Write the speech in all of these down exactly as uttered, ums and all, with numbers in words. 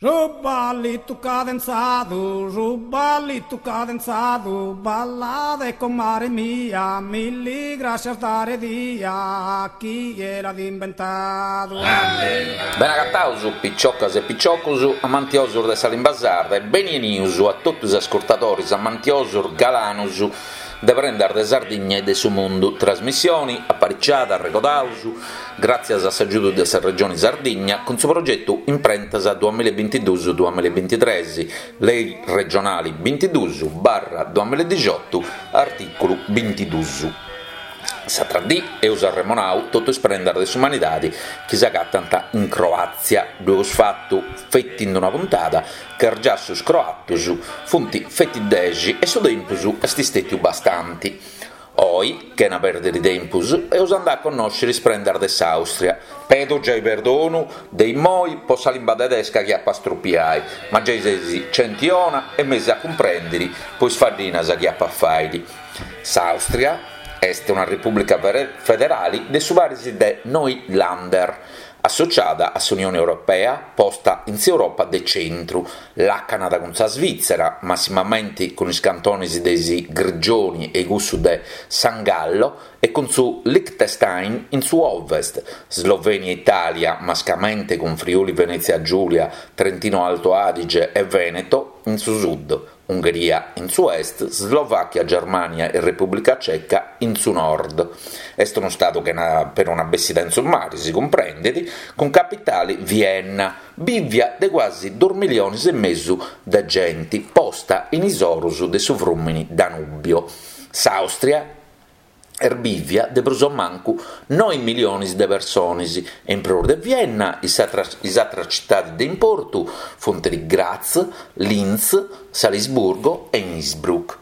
Su ballitu cadenzadu, su ballitu cadenzadu, ballade comare mia, milli grascias dare dia, chie l'at imbentadu. Bene agataus, piciocas e piciocus, amantiosus de sa limba sarda e beni 'enius a totu is ascurtadores amantiosus galanus de prendas de Sardigna e de su mundu. Trasmissioni apariciada, arregodaus, gràtzias a s'agiudu de sa Regioni Sardigna cun su progetu Imprentas duamilla e bintiduus duamilla e bintitres, Lei regionali bintiduus barra duamilla e dixiotu, artìculu bintiduus. S'atra dì eus arremonau totu is prendas de s'umanidadi chi s'agatant in Croàtzia. Ddu eus fatu feti in una puntada, ca is giassus croatus funt feti dexi e su tempus est stètiu bastanti. Oi, chena pèrdiri tempus, eus andai a connòsciri is prendas de s'Àustria. Pedo giai perdonu de immoi po sa limba tedesca chi apu a strupiai, ma giai seis genti 'ona e m'eis a cumprèndiri po is faddinas chi apu a fàiri. S'Àustria est una repùblica federali de su paris de noi Länder, associada a s'Unione Europea, posta in s'Europa de centru, làcanat cun sa Svìtzera, massimamenti cun is cantones de is Grigioni e cussu de San Gallo e cun su Liechtenstein in su ovest, Slovenia e Itàlia, mascamente cun Friuli Venètzia Giulia, Trentino Alto Adige e Veneto in su sud, Ungheria in su est, Slovàchia, Germània e Repùblica Ceca in su nord. Est unu stadu chena peruna bessida in su mari, si cumprendet, cun capitale Vienna, bìvia de cuasi duos milliones e mesu de genti, posta in is oros de su frùmini Danubio. S'Àustria est bìvia de prus o mancu noe milliones de persones e in prus de Vienna is atras is atras citades de importu funt Graz, Linz, Salisburgo e Innsbruck.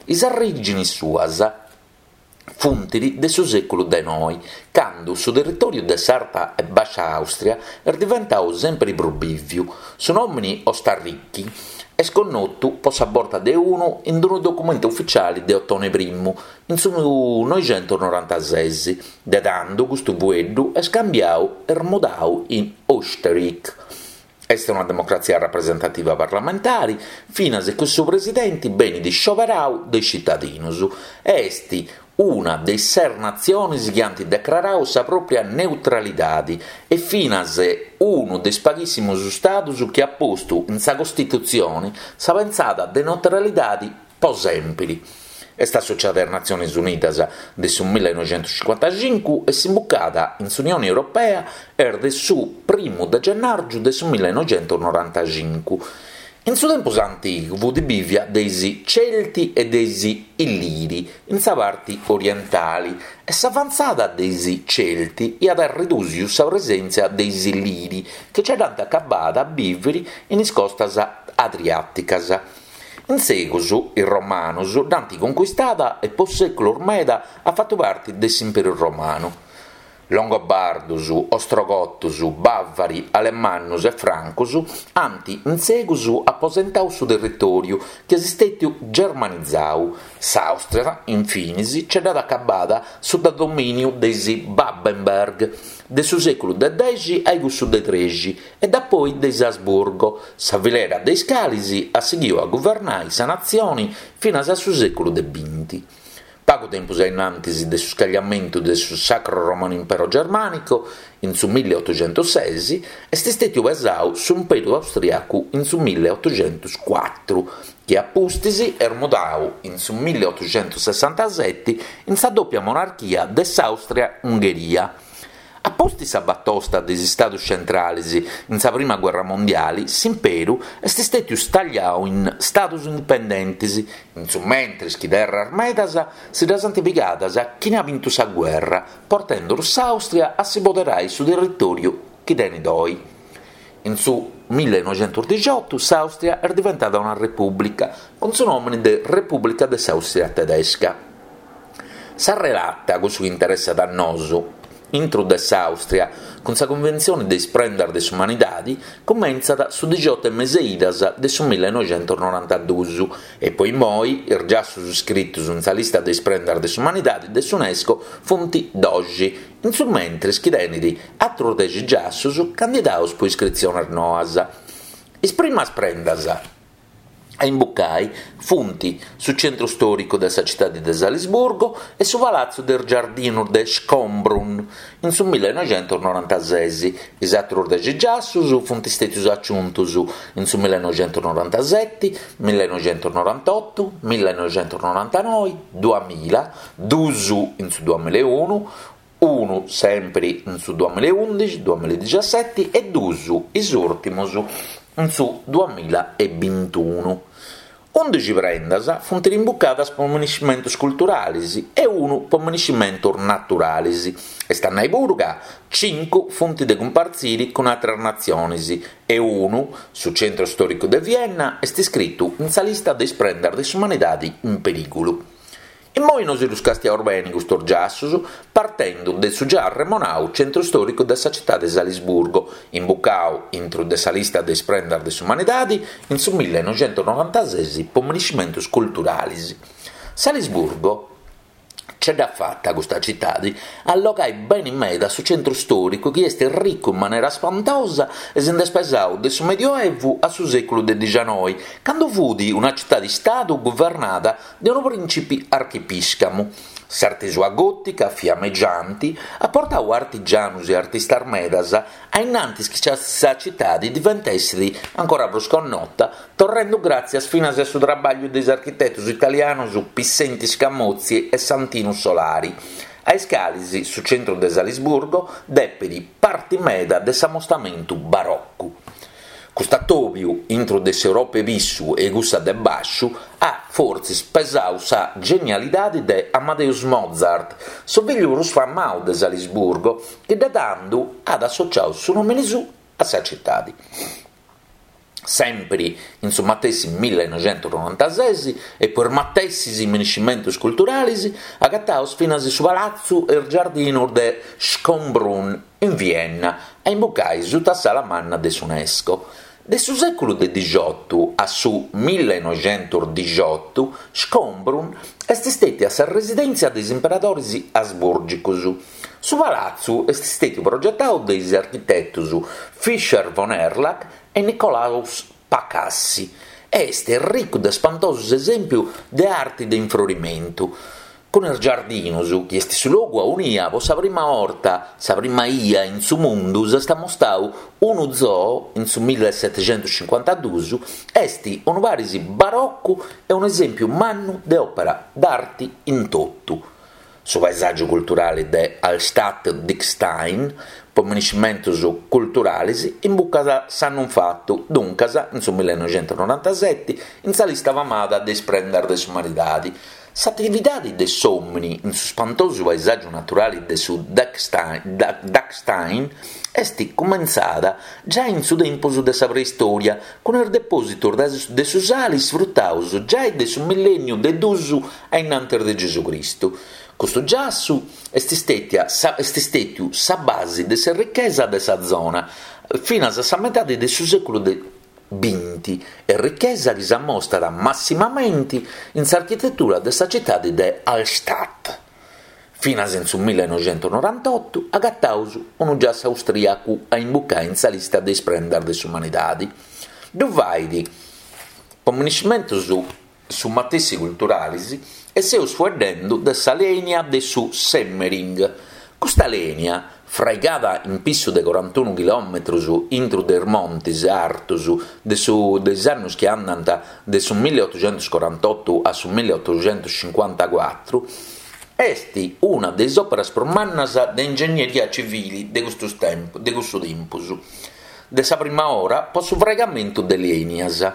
Is arrìgines suas funt de su sèculu de noe, cando su territòriu de s'Arta e Bàscia Àustria est diventadu semper prus bìviu. Su nòmine Ostarrichi est connotu po sa borta de unu in unu documentu ufitziale de Otone Primu in su noixentos norantases. De tando custu fueddu est cambiadu e mudadu in Österreich. Est una democratzia rapresentativa parlamentare, finas chi su presidente benit scioberadu de is citadinos e est una de is ses natziones chi ant declaradu sa pròpia neutralidade e finas unu de is paghìssimos istados chi at postu in sa Costitutzione sa pensada de neutralidade po sèmpiri. Est associada a is Natziones Unidas de su millenoixentos cincuantacincu e s'imbucada in s'Unione Europea est de su primu de gennàrgiu de su millenoixentos norantacincu. In su tempus antigu fut bìvia de is Celti e de is Illiri in sa parte orientale e s'avantzada de is Celti iat redùsiu sa presèntzia de is Illiri chi nce dd'ant acabada a bìvere in is costas adriàticas. In segus is Romanos dd'ant conquistada e po sèculos meda at fatu parte de s'Imperu Romanu. Longobardos, Ostrogotos, Bàvari, Alemannos e Francos ant in segus aposentadu su territòriu chi est istètiu germanizadu. S'Àustria, infinis, nce dd'at acabada sutta domìniu de is Babenberg, de su sèculu de dexi a cussu de trexi, e dapoi de is Asburgo, sa filera de is cales at sighidu a guvernare sa natzione finas a su sèculu de binti. Pagu tempus a innantis de su scagliamentu de su Sacro Romano Impero Germanico, in su milleotoxentos ses, est istètiu pesadu s'Imperu Austriacu in su milleotoxentos cuatru, chi a pustis est mudadu in su milleotoxentos sessantasete in sa dòpia monarchia de s'Àustria-Ungheria. A pustis sa batosta de is Istados Centrales in sa Prima Guerra Mondiale, s'imperu est istètiu stagliadu in Stados indipendentes, in su mentres chi terras medas si ddas ant pigadas chini at bintu sa guerra, portende s'Àustria a si poderare su territòriu chi tenet oe. In su millenoixentos dixiotu s'Àustria est diventada una repùblica, cun su nòmine de Repùblica de s'Àustria Tedesca. Sa relata, cussu chi interessat a nosu, intro de s'Àustria, cun sa Cunventzione de is prendas de s'umanidade, cumentzat su dixioto e mese idas de su millenoixentos norantaduos e po immoi is giassus iscritos in sa lista de is prendas de s'umanidade de s'UNESCO funt doxi, in su mentres chi tenet àteros dexi giassus candidados pro iscritziones noas. Is primas prendas a imbucai funt su centru stòricu de sa citadi de Salisburgo e su palatzu de is giardinus de Schönbrunn in su millenoixentusnorantases. Is àterus dexi giassus funt stètius aciuntus in su millenoixentusnorantaseti, millenoixentusnorantotu, millenoixentusnorantanoi, duamilla, duus in su duamilla e unu, unu sèmpiri in su duamilla e undixi, duamilla e dixaseti e duus, is ùrtimus, in su duamilla e bintunu. Undixi prendas funt imbucadas po minescimentus culturalis e unu po minescimentus naturalis, est a nai puru ca cincu funt de cumpartziri cun àteras natzionis e unu, su centru stòricu de Vienna, est iscritu in sa lista de is prendas de s'umanidadi in perìgulu. Immoi nosi ddus castiaus beni custus giassus, partendu de su già arremonau centru stòricu de sa citadi de Salisburgo, imbucau intru de sa lista de is prendas de s'umanidadi in su millenoixentusnorantases po minescimentus culturalis. Salisburgo ce dd'at fata custa citadi a allogai beni meda su centru stòricu chi est ricu in manera spantosa e si nd'est pesau de su Medioevu a su sèculu de dixanoi, candu fut una citadi-stadu guvernada de unu prìncipi archipìscamu. S'arti sua gòtica, fiamegianti, at portau artigianus e artistas medas a innantis chi sa citadi diventessit ancora prus connota, torrendu gràtzias finas a su trabagliu de is architetus italianus Pissenti Scamozzi e Santinu Solari, a is calis su centru de Salisburgo depit parti meda de s'amostamentu baroccu. Cust'atòbiu intru de s'Europa 'e pissu e cussa de bàsciu at fortzis pesau sa genialidadi de Amadeus Mozart, su figliu prus famau de Salisburgo, chi de tandu at associau su nòmini suu a sa citadi. Sèmpiri in su matessi millenoixentusnorantases e po is matessis minescimentus culturalis agataus finas su palatzu e is giardinus de Schönbrunn in Vienna, a imbucai suta s'ala manna de s'UNESCO. De su sèculu de dixiotu a su millenoixentusdixiotu, Schönbrunn est stètia sa residèntzia de is imperadoris asbùrgicus. Su palatzu est stètiu progetau de is architetus Fischer von Erlach e Nikolaus Pacassi e est ricu de spantosus esèmpius de arti de infrorimentu. Cun is giardinus, chi est su logu aunia po sa prima 'orta, sa prima 'ia in su mundu, s'est amostau unu zoo in su millesetexentuscincuantaduus, est unu paris baroccu e unu esèmpiu mannu de òpera d'arti in totu. Su paesàgiu culturali de Hallstatt-Dachstein, po minescimentus culturalis, imbucat s'annu infatu, duncas in su millenoixentusnorantaseti, in sa lista famada de is prendas de s'umanidadi. S'atividadi de s'òmini in su spantosu paesàgiu naturali de su Dachstein est cumentzada giai in su tempus de sa preistòria, cun is depòsitus de su sali sfrutaus giai de su millènniu de duus a innantis de Gesù Cristu. Custu giassu est stètia est stètiu sa basi de s'errichesa de sa zona finas a sa metadi de su sèculu de binti, errichesa chi s'ammostat massimamenti in s'architetura de sa citadi de Hallstatt. Finas in su millenoixentusnorantotu agataus unu giassu austriacu a imbucai in sa lista de is prendas de s'umanidadi. Ddu fait po minescimentus su matessi culturalis e seus fueddendu de sa lènia de su Semmering. Custa lènia, fraigada in pissu de corantunu chilòmetrus intru de is montis artus de su de is annus chi andant de su milliotuxentuscorantotu a su milliotuxentuscincuantacuatru, est una de is òperas prus mannas de ingegneria civili de custus tempus de cussu tempus, de sa prima ora po su fraigamentu de lènias.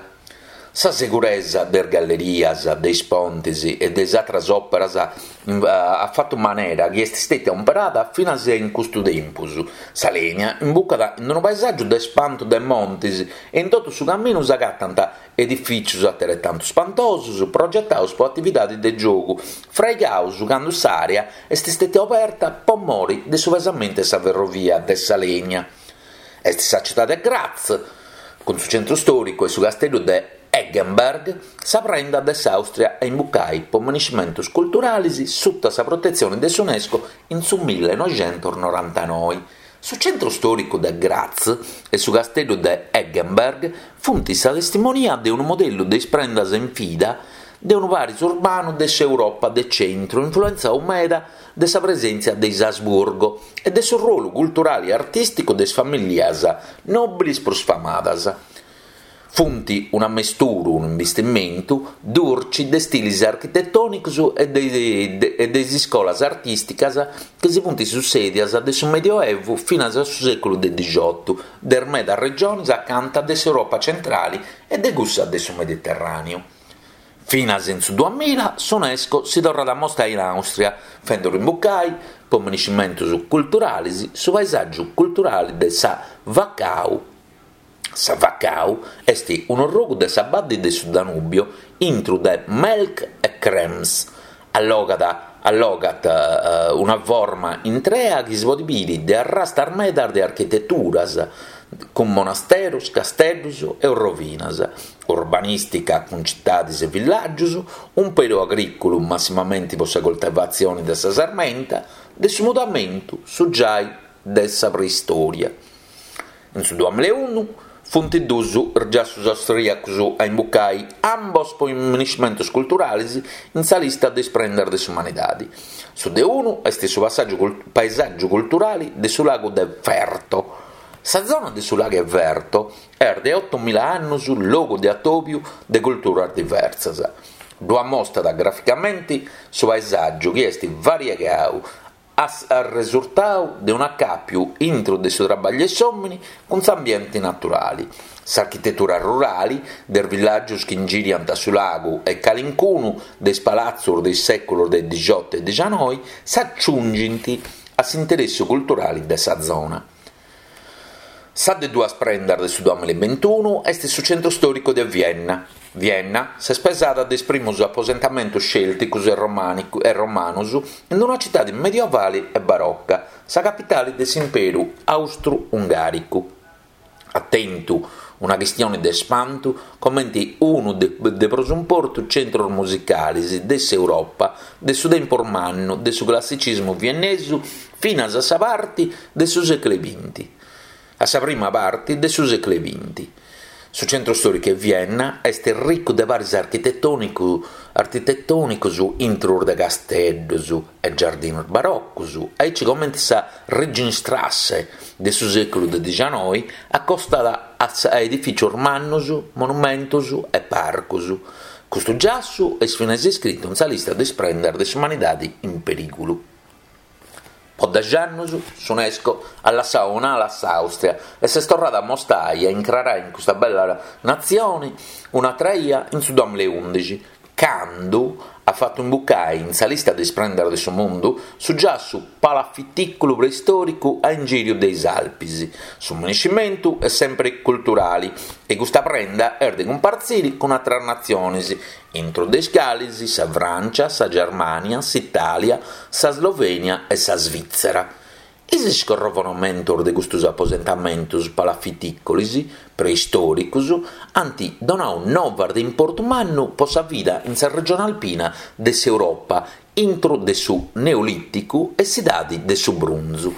Sa seguresa de is gallerias, de is pontis e de is àteras òperas at fatu manera chi est stètia umperada finas in custu tempus. Sa lènia imbucat in unu paesàgiu de spantu de montis e in totu su caminu s'agatant edifìtzios ateretantu spantosos progetados po atividade de giogu, fraigados cando s'àrea est stètia oberta po mori de su pesamentu de sa ferrovia de sa lènia. Est sa citade de Graz, cun su centru stòricu e su casteddu de Eggenberg, sa prenda de s'Àustria a imbucai po minescimentus culturalis suta sa protetzione de s'UNESCO in su millenoixentusnorantanoi. Su centru stòricu de Graz e su casteddu de Eggenberg funt sa testimonia de unu modellu de is prendas in vida de unu paris urbanu de s'Europa de centru influentzau meda de sa presèntzia de is Asburgo e de su ruolu culturale e artìsticu de is famìllias nòbiles prus famadas. Funt un'ammesturu, un'imbistimentu durci de stilis architetònicos e de e de is iscolas artìsticas chi si funt sussèdias de su Medioevu finas a su sèculu de dixiotu de is medas regiones acanta de s'Europa centrale e de cussa de su Mediterràneu. Finas in su duamilla s'UNESCO si torrat a mostrai in Àustria, fenduru imbucai, po miniscimentos culturales, su paesàgiu culturale de sa Wachau. Sa Wachau est un'orrogu de sa badde de su Danubio intro de Melk e Krems. Allogat allogat una forma intrea chi si podet bìdere de arrastas medas de architeturas, cun monasteros, casteddos e rovinas, urbanìstica cun citades e villàgios, umperu agrìculu massimamente pro sa coltivatzione de sa sarmenta, de su mudamentu su giai de sa preistòria. In su duamilla e unu funt duos is giassos austrìacos a imbucai ambos pro miniscimentos culturales in sa lista de is prendas de s'umanidade. Su de unu est su passàgiu paesàgiu culturale de su lagu de Ferto. Sa zona de su lagu Ferto est de otomila annos logu de atòbiu de culturas diversas. Ddu ammostat graficamente su paesàgiu chi est variegadu arresurtadu de un'acàpiu intro de su traballu de s'òmine cun s'ambiente naturale. S'architetura rurale de is villàgios chi ingiriant su lagu e calincunu de is palatzos de is sèculos de dixioto e dixanoi s'aciungint a s'interessu culturale de sa zona. Sa de duas prendas de su duamilla e bintunu est su centru stòricu de Vienna. Vienna s'est pesada de is primos aposentamentos cèlticos e e romanos in una citade medievale e barocca, sa capitale de s'imperu austru-ungàricu. At tentu una chistione de spantu comente unu de, de prus importu centros musicales de s'Europa de su tempus mannu de su classicismu viennesu finas a sa parte de su sèculu binti. A sa prima parte de su sèculu binti. Su centru stòricu de Vienna est ricu de paris architetònicu, architetònicos intro de casteddos e giardinos barocos, aici comente sa Ringstrasse de su sèculu de dixanoi, acostada a, a edifìcios mannos, monumentos e parcos. Custu giassu est finas iscritu in sa lista de is prendas de s'umanidade in perìgulu. Po dexi annos s'UNESCO at lassadu un'ala a s'Àustria e s'est torrada a mostrai e a incrarai in custa bella natzione un'atra ia in su duamilla e ùndixi, cando at fatu imbucai in sa lista de is prendas de su mundu su giassu palafitìculu preistòricu a ingìriu de is Alpis. Su miniscimentu est sempre culturale e custa prenda est de cumpartzire cun àteras natziones, intro de is cales sa Frància, sa Germània, s'Itàlia, sa Slovènia e sa Svìtzera. Is iscorrovonamentos de custos aposentamentos palafitìcolis preistòricos ant donadu novas de importu mannu pro sa vida in sa regione alpina de s'Europa intro de su Neolìticu e s'Idade de su Brunzu.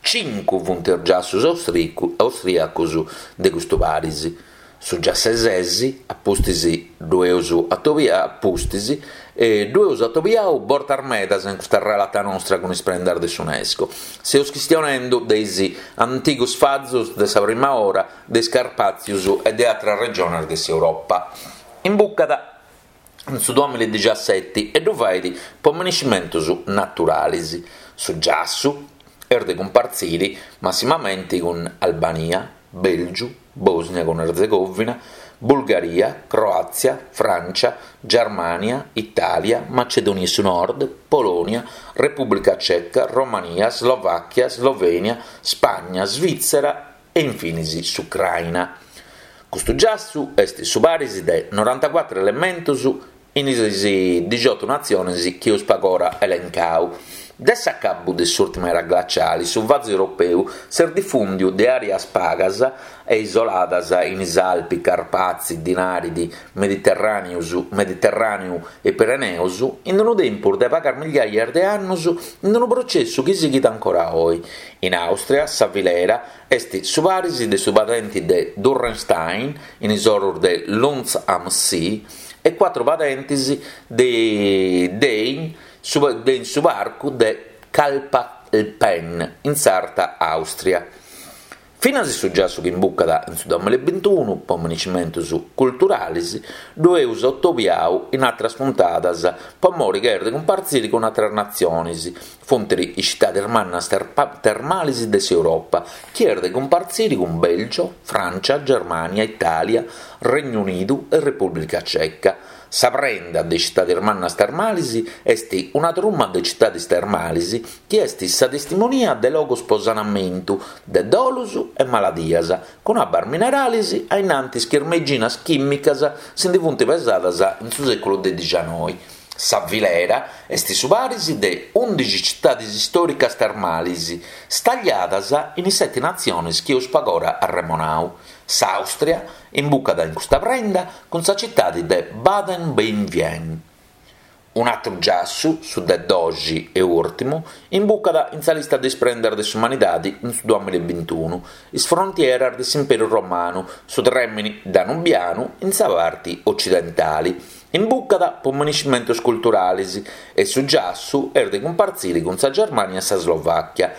Cincu funt is giassos austrìacos de custu paris. Su giassu sesi, a pustis ddu eus atobiau, a pustis, e ddu eus atobiau bortas medas in custa relata nostra cun is prendas de s'UNESCO. Seus chistionendu de is antigos fazos de sa prima ora de is Carpàtzios e de àteras regiones de s'Europa. Imbucat in su duamilla e dixaseti e ddu fait po miniscimentos naturales. Su giassu est de cumpartzire massimamente cun Albania, Bèlgiu, Bòsnia cun Erzegovina, Bulgaria, Croàtzia, Frància, Germània, Itàlia, Macedònia su Nord, Polònia, Repùblica Ceca, Romania, Slovàchia, Slovènia, Spagna, Svìtzera e infinis s'Ucraina. Custu giassu est su paris de norantacuatro elementos in is dixioto natziones chi eus pagora elencau. De s'acabu de s'ùrtima era glaciali su vasu europeu s'est difùndiu de àreas pagas e isoladas in is Alpi, Carpazi, Dinaridi, Mediterràneu e Pireneos in unu tempus de pagas migliajas de annos in unu processu chi sighit ancora oe. In Àustria sa filera est su paris de su padente de Dürrenstein in is oros de Lunz am See e cuatru padentes de de in su parcu de Kalkalpen in s'Arta Àustria. Finas su giassu chi imbucat in su duamilla e bintunu po minescimentos culturales ddu eus atobiadu in àteras puntadas pro more chi est de cumpartzire cun àteras natziones, funt is citades mannas termales de s'Europa chi est de cumpartzire cun Bèlgio, Frància, Germània, Itàlia, Regnu Unidu e Repùblica Ceca. Sa prenda de citades mannas termales est una truma de citades termales chi est sa testimonia de logos pro sanamentu de dolos e maladias cun abbas minerales a in antis chi is meiginas chìmicas si nde funt pesadas in su sèculu de dicianoi. Sa filera est su paris de ùndixi citades istòricas termales stagliadas in is sete natziones chi eus pagora arremonadu. S'Àustria imbucat in custa prenda cun sa citade de Baden bei Wien. Un'àteru giassu, su de doxi e ùrtimu, imbucat in sa lista de is prendas de s'umanidade in su duamilla e bintunu, is frontieras de s'Imperu Romanu, su trèmene danubianu in sa parte otzidentale. Imbucat pro minescimentos culturales e su giassu est de cumpartzire cun sa Germània e sa Slovàchia.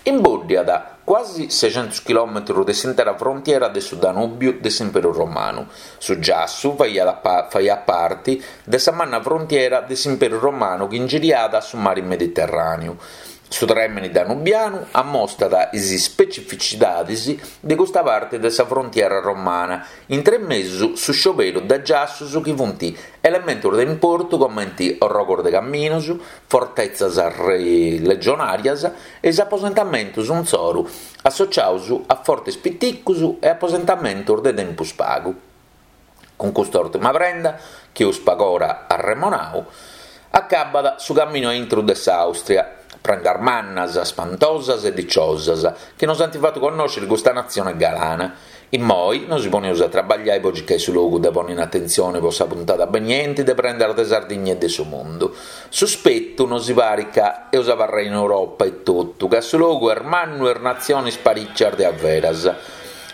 Imbòddiat cuasi seicentos chilòmetros de s'intera frontiera de su Danùbiu de s'Imperu Romanu. Su giassu faiat faiat parte de sa manna frontiera de s'Imperu Romanu chi ingiriat su mare Mediterràneu. Su trèmene danubianu ammostat is specificidades de custa parte de sa frontiera romana, intre mesu su scioberu de giassos chi funt elementos de importu comente orrogos de caminos, fortetzas legionàrias e is aposentamentos insoru associados a fortes piticos e aposentamentos de tempus pagu. Cun custa ùrtima prenda, chi eus pagora arremonadu, acabat su caminu a intro de s'Àustria. Prendas mannas, spantosas e diciosas, chi nos ant fatu connòschere custa natzione galana. Immoi nos poneus a trabagliare po circare su logu de ponnere in atentzione po sa puntada beniente de Prendas de Sardigna e de su mundu. Suspetu nos parit ca eus abarrai in Europa e totu, ca su logu est mannu e is natziones parìcias de averas.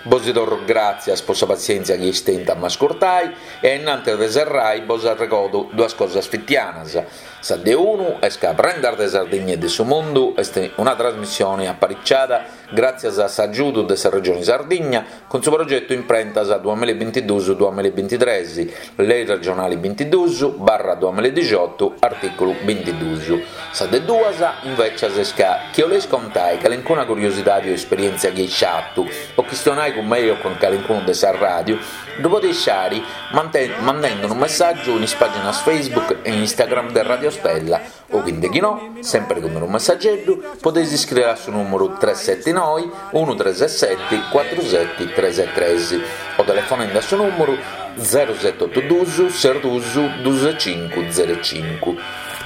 Bos torro gràtzias po sa pazientzia chi eis tentu a m'ascurtai e a innantis de serrai bos arregodo duas cosas fitianas. Sa de unu est ca Prendas de Sardigna e de su Mundu est una trasmissione apariciada gràtzias a s'agiudu de sa Regione Sardigna cun su progetu Imprentas duamilla e bintiduus duamilla e bintitres, Lei regionale bintiduus barra duamilla e diciotto, artìculu bintiduus. Sa de duas, invecias, est ca chi 'oleis contai calincuna curiosidade o esperièntzia chi eis fatu o chistionai cun mei o cun calincunu de sa ràdiu, ddu podeis fari mandende unu messàgiu in is pàginas Facebook e Instagram de Radio Stella o chi nde chi no, semper cun unu messageddu, podeis iscriere a su nùmeru tres sete noe unu tres sete cuatru sete tres tres o telefonende a su nùmeru zero sete otu duus ses duus duus cincu zero cincu.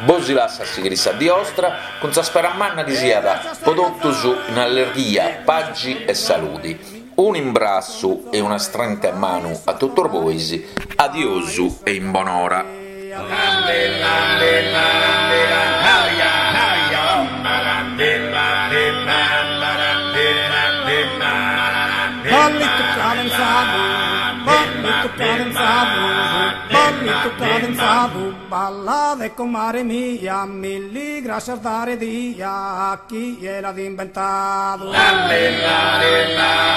Bos lasso a sighire sa die 'ostra cun sa spera manna chi siat po totus in allerghia, pagi e salude. Un'imbrassu e una strenta 'e manu a totus bois, adiosu e in bonora. Ballito cadenzado, ballito cadenzado, ballito cadenzado, balla de comare mia, mil gracias dare dia a chi l'ha inventado. Bella, bella,